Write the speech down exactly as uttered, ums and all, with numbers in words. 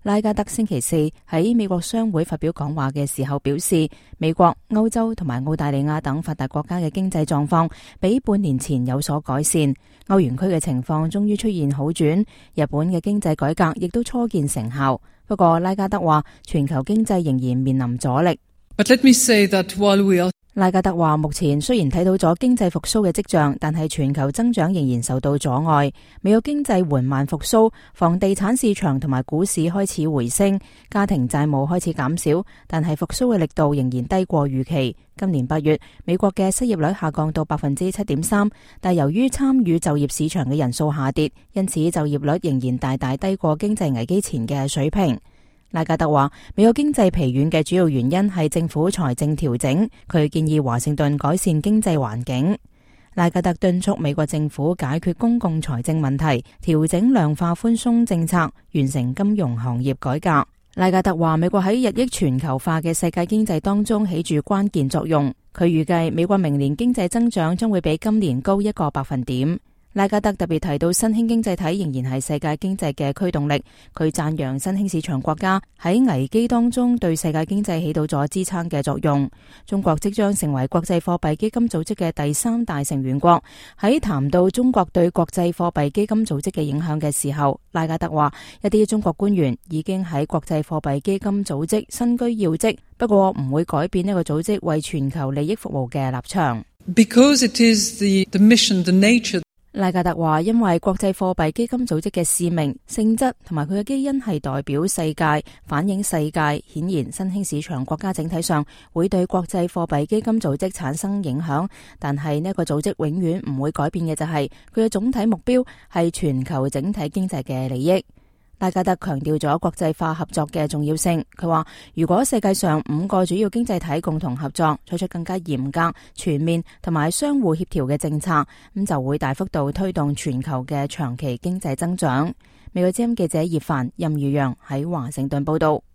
拉加德星期四喺美國商會發表講話嘅時候表示，美國、歐洲同埋澳大利亞等發達國家嘅經濟狀況比半年前有所改善，歐元區嘅情況終於出現好轉，日本嘅經濟改革亦都初見成效。不過拉加德話，全球經濟仍然面臨阻力。But let me say that while we are拉加德話，目前雖然睇到咗經濟復甦嘅跡象，但係全球增長仍然受到阻礙。美國經濟緩慢復甦，房地產市場同埋股市開始回升，家庭債務開始減少，但係復甦嘅力度仍然低過預期。今年八月，美國嘅失業率下降到百分之七點三，但由於參與就業市場嘅人數下跌，因此就業率仍然大大低過經濟危機前嘅水平。拉加德話，美國經濟疲軟嘅主要原因係政府財政調整，佢建議華盛頓改善經濟環境。拉加德敦促美國政府解決公共財政問題，調整量化寬鬆政策，完成金融行業改革。拉加德話，美國喺日益全球化嘅世界經濟當中起住關鍵作用。佢預計美國明年經濟增長將會比今年高一個百分點。拉加德特別提到新興經濟體仍然係世界經濟嘅驅動力，佢讚揚新興市場國家喺危機當中對世界經濟起到咗支撐嘅作用。中國即將成為國際貨幣基金組織嘅第三大成員國。喺談到中國對國際貨幣基金組織嘅影響嘅時候，拉加德話，一啲中國官員已經喺國際貨幣基金組織身居要職，不過唔會改變呢個組織為全球利益服務嘅立場。Because it is the, the mission, the nature. 拉加德話，因為國際貨幣基金組織嘅使命、性質同埋佢嘅基因係代表世界、反映世界，顯然新興市場國家整體上會對國際貨幣基金組織產生影響，但係呢個組織永遠唔會改變嘅就係佢嘅總體目標係全球整體經濟嘅利益。拉加德強調咗國際化合作嘅重要性。佢話，如果世界上五個主要經濟體共同合作，採取更加嚴格、全面同埋相互協調嘅政策，咁就會大幅度推動全球嘅長期經濟增長。美國之音記者葉凡、任如陽喺華盛頓報道。